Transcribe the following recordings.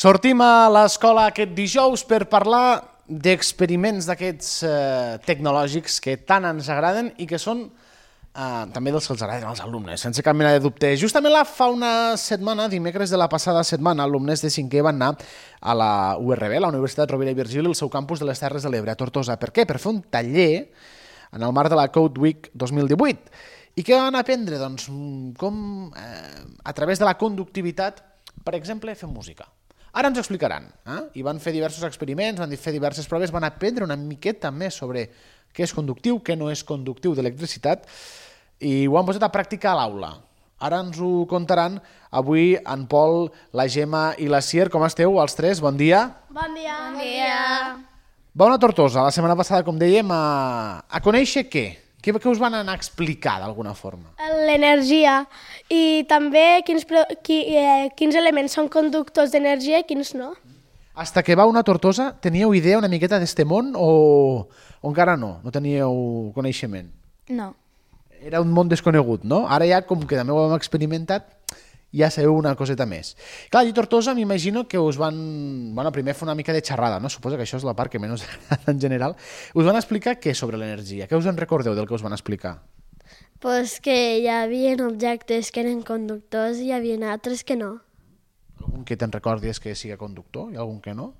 Sortim a l'escola aquest dijous per parlar d'experiments d'aquests tecnològics que tant ens agraden i que són també dels que els agraden als alumnes, sense cap mena de dubte. Justament fa una setmana, dimecres de la passada setmana, alumnes de 5è van anar a la URB, la Universitat Rovira i Virgili, al seu campus de les Terres de l'Ebre, a Tortosa. Per què? Per fer un taller en el marc de la Code Week 2018. I què van aprendre? Doncs com a través de la conductivitat, per exemple, fer música. Ara ens ho explicaran. I van fer diversos experiments, van fer diverses proves, van aprendre una miqueta més sobre què és conductiu, què no és conductiu d'electricitat, i ho han posat a pràctica a l'aula. Ara ens ho contaran avui en Pol, la Gemma i la Sier. Com esteu, els tres? Bon dia. Bon dia. Bon dia. Vau anar a Tortosa la setmana passada, com dèiem, a conèixer què? Què us van anar a explicar d'alguna forma? L'energia i també quins elements són conductors d'energia i quins no. Hasta que vau anar a Tortosa, teníeu idea una miqueta d'este món o encara no? No teníeu coneixement? No. Era un món desconegut, no? Ara ja, com que també ho hem experimentat, ja sabeu una coseta més. Clar, i Tortosa m'imagino que us van... Bueno, primer fer una mica de xerrada, no? Suposo que això és la part que menys en general. Us van explicar què sobre l'energia? Què us en recordeu del que us van explicar? Pues que hi havia objectes que eren conductors i hi havia altres que no. Algun que te'n recordis que siga conductor i algun que no?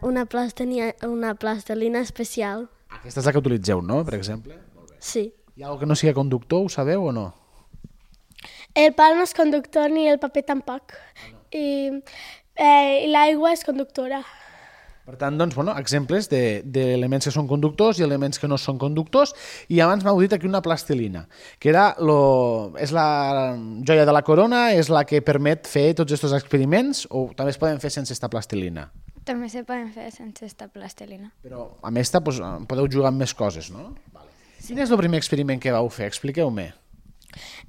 Una plastelina especial. Aquesta és la que utilitzeu, no? Per exemple? Molt bé. Sí. Hi ha algú que no siga conductor, ho sabeu o no? El pal no és conductor ni el paper tampoc. I l'aigua és conductora. Per tant, doncs, bueno, exemples d'elements que són conductors i elements que no són conductors. I abans m'heu dit aquí una plastilina, que és la joia de la corona, és la que permet fer tots aquests experiments, o també es poden fer sense esta plastilina? També se poden fer sense esta plastilina. Però amb esta podeu jugar amb més coses, no? Vale. Quin és el primer experiment que vau fer? Expliqueu-me.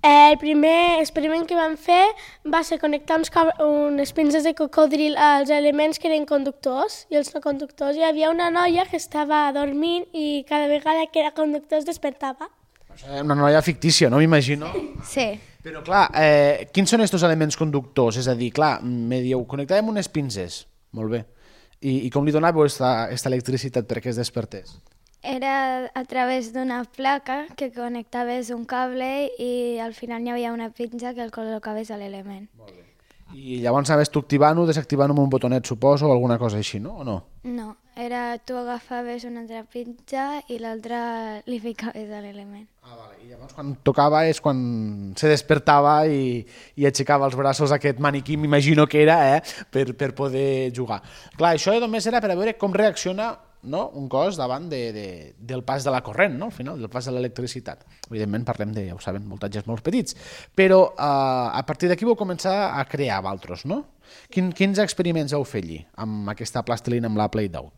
El primer experiment que vam fer va ser connectar unes pinces de cocodril als elements que eren conductors i els no conductors. Hi havia una noia que estava dormint i cada vegada que era conductor es despertava. Una noia fictícia, no m'imagino? Sí. Però clar, quins són aquests elements conductors? És a dir, clar, me dieu, connectàvem unes pinces. Molt bé. I com li donàveu aquesta electricitat perquè es despertés? Era a través d'una placa que connectaves un cable i al final hi havia una pinça que el col·locaves a l'element. Molt bé. I llavors anaves tu activant-ho, desactivant-ho amb un botonet, suposo, o alguna cosa així, no? O no? No, tu agafaves una altra pinça i l'altra li ficaves a l'element. Vale. I llavors quan tocava és quan se despertava i aixecava els braços aquest maniquí, m'imagino que era, per poder jugar. Clar, això només era per a veure com reacciona, no? Un cos davant del pas de la corrent, no? Al final, del pas de l'electricitat. Evidentment parlem de, ja ho saben, voltatges molt petits, però a partir d'aquí vau començar a crear vosaltres, no? Quins experiments vau fer allí amb aquesta plastilina amb la Play-Doh?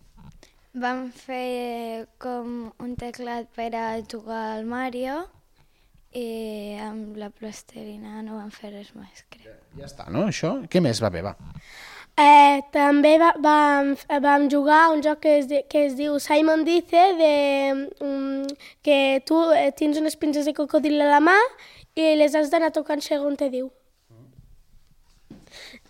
Vam fer com un teclat per a jugar al Mario i amb la plastilina no vam fer res més, crec. Ja està, no? Això? Què més va bé, va? També vam jugar a un joc que es diu Simon Dice, que tu tens unes pinces de cocodril a la mà i les has d'anar tocant segons te diu.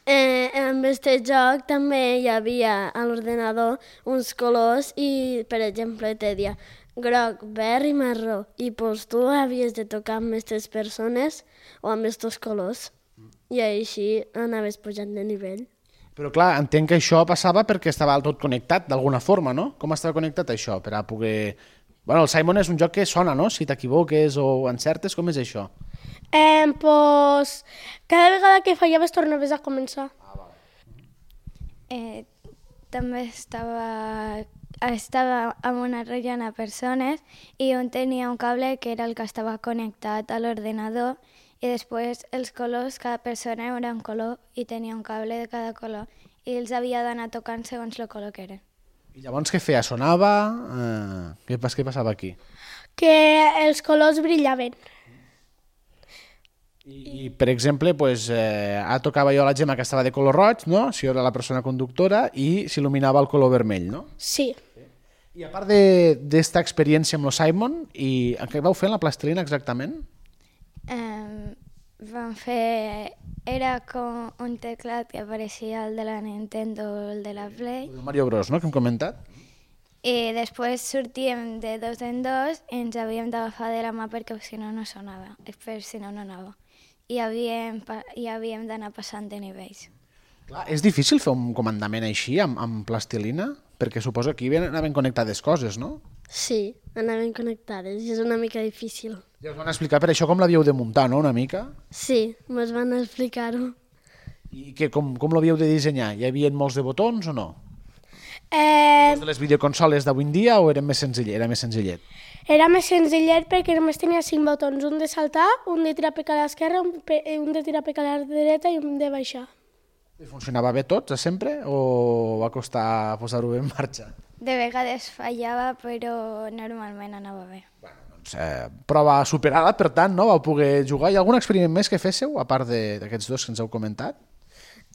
En aquest joc també hi havia a l'ordenador uns colors i, per exemple, te deia groc, verd i marró. I doncs tu havies de tocar amb aquestes persones o amb aquests colors. I així anaves pujant de nivell. Però clar, entenc que això passava perquè estava tot connectat d'alguna forma, no? Com estava connectat això per a poder... Bueno, el Simon és un joc que sona, no? Si t'equivoques o encertes, com és això? Cada vegada que fallaves tornaves a començar. També estava amb una rellena de persones i on tenia un cable que era el que estava connectat a l'ordenador i després els colors, cada persona era un color i tenia un cable de cada color i els havia d'anar tocant segons el color que eren. I llavors què feia? Sonava? Què passava aquí? Que els colors brillaven. I per exemple, ara tocava jo la Gemma que estava de color roig, no? Si era la persona conductora i s'il·luminava el color vermell, no? Sí. I a part d'esta experiència amb el Simon, i què vau fer en la plastilina exactament? vam fer... Era com un teclat que apareixia el de la Nintendo o el de la Play. El Mario Bros, no?, que hem comentat. I després sortíem de dos en dos i ens havíem d'agafar de la mà perquè si no no sonava, si no no anava. I havíem d'anar passant de nivells. Clar, és difícil fer un comandament així, amb plastilina? Perquè suposo que aquí anaven connectades coses, no? Sí, anaven connectades i és una mica difícil. Ja us van explicar per això com l'havíeu de muntar, no?, una mica? Sí, mos van explicar-ho. I com l'havíeu de dissenyar? Hi havia molts de botons o no? Eh, De les videoconsoles d'avui en dia o era més senzillet? Era més senzillet perquè només tenia 5 botons, un de saltar, un de tirar per a l'esquerra, un de tirar per a la dreta i un de baixar. I funcionava bé tots, sempre, o va costar posar-ho bé en marxa? De vegades fallava, però normalment anava bé. Doncs, prova superada, per tant, no? Vau poder jugar. Hi ha algun experiment més que féssiu, a part d'aquests dos que ens heu comentat?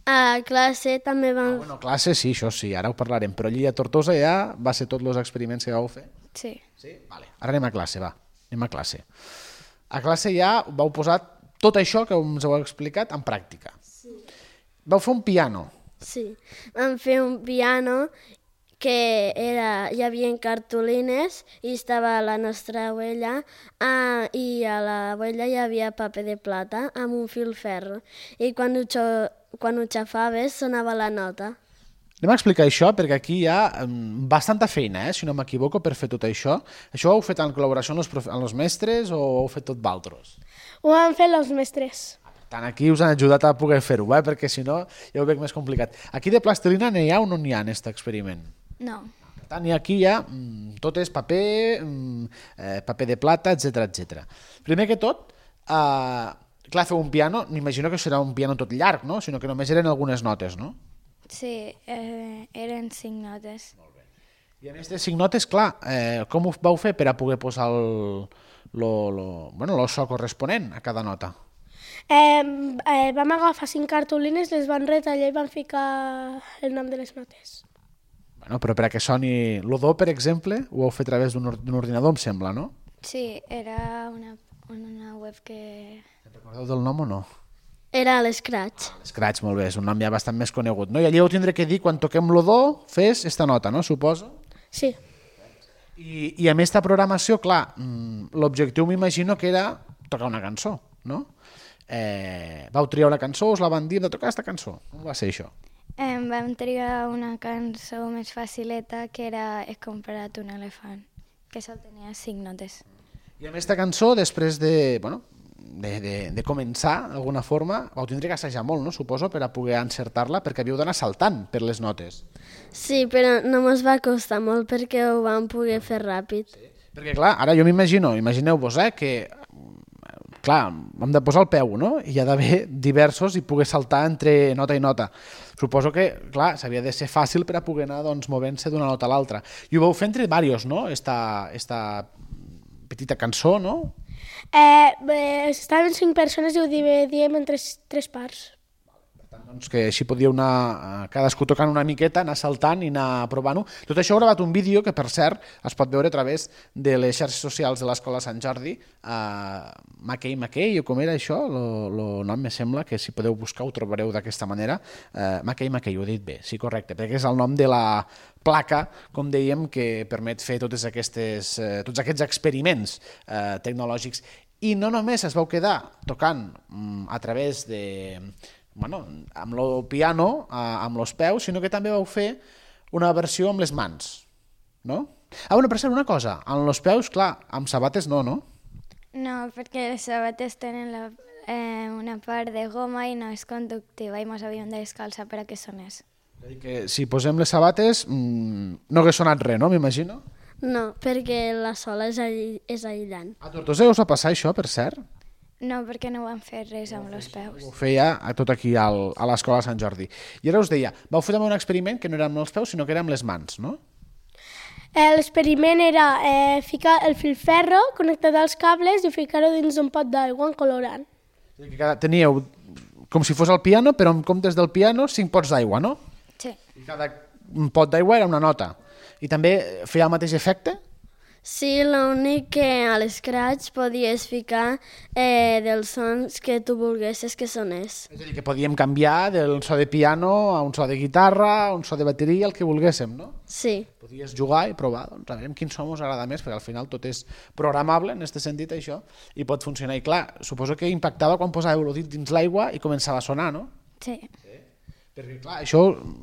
A classe també vam... Bueno, classe, sí, això sí, ara ho parlarem, però allí a Tortosa ja va ser tots els experiments que vau fer? Sí. Sí? Vale. Ara anem a classe, va. Anem a classe. A classe ja vau posar tot això que ens heu explicat en pràctica. Sí. Vau fer un piano. Sí, vam fer un piano que hi havia cartolines i estava la nostra abuela i a l'abuela hi havia paper de plata amb un fil ferro i quan ho xafaves sonava la nota. Anem a explicar això perquè aquí hi ha bastanta feina, si no m'equivoco, per fer tot això. Això ho heu fet en col·laboració amb els mestres o ho heu fet tot vosaltres? Ho han fet els mestres. Tant aquí us han ajudat a poder fer-ho, perquè si no ja ho veig més complicat. Aquí de plastilina n'hi ha o no n'hi ha en aquest experiment? No. Per tant, aquí hi ha tot és paper, paper de plata, etc. Primer que tot, clar, fer un piano, m'imagino que serà un piano tot llarg, no? Sinó que només eren algunes notes, no? Sí, eren 5 notes. I a més de 5 notes, clar, com ho vau fer per a poder posar el so corresponent a cada nota? Vam agafar 5 cartolines, les van retallar i van ficar el nom de les notes. Bueno, però per a que soni el do, per exemple, ho heu fet a través d'un ordinador, em sembla, no? Sí, era una web que... Recordeu del nom o no? Era l'Scratch. Scratch, molt bé, és un nom ja bastant més conegut, no? I allí heu tindré que dir, quan toquem lo do, fes esta nota, no? Suposo? Sí. I a més de programació, clar, l'objectiu m'imagino que era tocar una cançó, no? Vau triar una cançó, us la van dir de tocar aquesta cançó. Com va ser això? Vam triar una cançó més facileta que era He comprat un elefant, que sol tenia 5 notes. I a més de cançó, després de començar, d'alguna forma, vau tindre que assajar molt, no? Suposo, per a poder encertar-la, perquè havíeu d'anar saltant per les notes. Sí, però no mos va costar molt perquè ho vam poder fer ràpid. Sí. Perquè, clar, ara jo imagineu-vos, que clar, hem de posar el peu, no? I hi ha d'haver diversos i poder saltar entre nota i nota. Suposo que, clar, s'havia de ser fàcil per a poder anar movent-se d'una nota a l'altra. I ho vau fer entre diversos, no? Esta petita cançó, no? Estaven 5 persones i ho dividíem en 3 parts. Doncs que així podíeu anar cadascú tocant una miqueta, anar saltant i anar provant-ho. Tot això heu gravat un vídeo que, per cert, es pot veure a través de les xarxes socials de l'Escola Sant Jordi, Mackey, o com era això? El nom me sembla que si podeu buscar ho trobareu d'aquesta manera. Mackey, ho he dit bé, sí, correcte, perquè és el nom de la placa, com dèiem, que permet fer tots aquests experiments tecnològics. I no només es vau quedar tocant a través de... amb el piano, amb els peus, sinó que també vau fer una versió amb les mans, no? Per cert, una cosa, amb els peus, clar, amb sabates no? No, perquè les sabates tenen una part de goma i no és conductiva i ens havíem de descalçar per a que sonés. Que si posem les sabates no hagués sonat res, no? M'imagino? No, perquè la sola és aïllant. A Tortosa us va passar això, per cert? No, perquè no van fer res amb els peus. Ho feia tot aquí a l'Escola Sant Jordi. I ara us deia, vau fer també un experiment que no era amb els peus, sinó que era amb les mans, no? L'experiment era ficar el filferro connectat als cables i ficar-ho dins d'un pot d'aigua en colorant. Teníeu com si fos el piano, però en comptes del piano 5 pots d'aigua, no? Sí. I cada pot d'aigua era una nota. I també feia el mateix efecte? Sí, l'únic que a l'Scratch podies ficar dels sons que tu volguessis que sonés. És a dir, que podíem canviar del so de piano a un so de guitarra, a un so de bateria, el que volguéssim, no? Sí, Podies jugar i provar, doncs a veure quin so us agrada més, perquè al final tot és programable en aquest sentit, això, i pot funcionar. I clar, suposo que impactava quan posàveu el dit dins l'aigua i començava a sonar, no? Sí. Perquè clar, això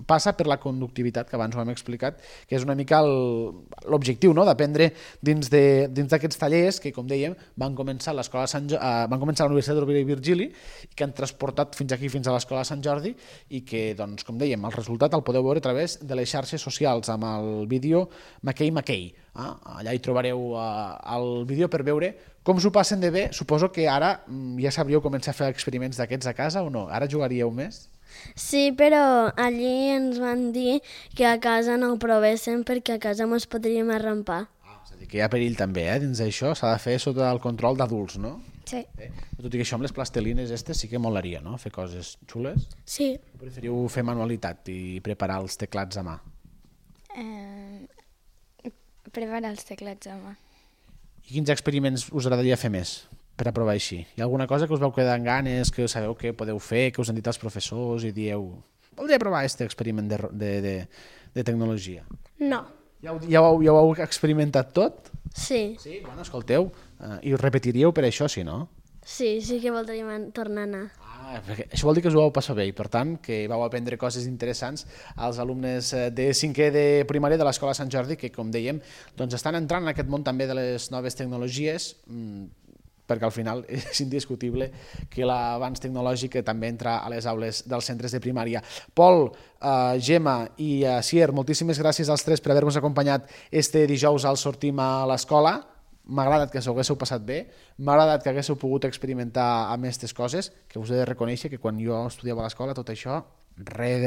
passa per la conductivitat, que abans ho hem explicat, que és una mica l'objectiu, no?, d'aprendre dins d'aquests tallers que, com dèiem, van començar a l'escola van començar a la Universitat Rovira i Virgili i que han transportat fins aquí, fins a l'escola Sant Jordi, i que, doncs, com dèiem, el resultat el podeu veure a través de les xarxes socials amb el vídeo Mackay. Allà hi trobareu el vídeo per veure com s'ho passen de bé. Suposo que ara ja sabríeu començar a fer experiments d'aquests a casa o no? Ara jugaríeu més? sí, però allí ens van dir que a casa no ho provéssim perquè a casa ens podríem arrampar. És a dir, que hi ha perill també, dins d'això s'ha de fer sota el control d'adults, no? Sí. Tot i que això amb les plastelines sí que molaria, no? Fer coses xules. Sí. Preferiu fer manualitat i preparar els teclats a mà? Preparar els teclats a mà. I quins experiments us agradaria fer més per aprovar així? Hi ha alguna cosa que us vau quedar amb ganes, que sabeu que podeu fer, que us han dit els professors i dieu voldria provar aquest experiment de tecnologia? No. Ja ho heu experimentat tot? Sí, Sí? Bueno, escolteu, i ho repetiríeu per això, si no? sí que voldríem tornar a anar. Perquè això vol dir que us ho vau passar bé i per tant que vau aprendre coses interessants als alumnes de 5è de primària de l'Escola Sant Jordi que, com dèiem, doncs estan entrant en aquest món també de les noves tecnologies, perquè al final és indiscutible que l'avanç tecnològic també entra a les aules dels centres de primària. Pol, Gemma i Sier, moltíssimes gràcies als tres per haver-nos acompanyat este dijous al Sortim a l'escola. M'ha agradat que s'ho haguéssiu passat bé, m'ha agradat que haguéssiu pogut experimentar amb aquestes coses, que us he de reconèixer que quan jo estudiava a l'escola tot això, res,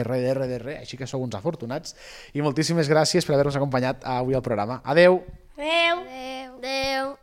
així que sou uns afortunats. I moltíssimes gràcies per haver-nos acompanyat avui al programa. Adeu! Adeu! Adéu. Adéu!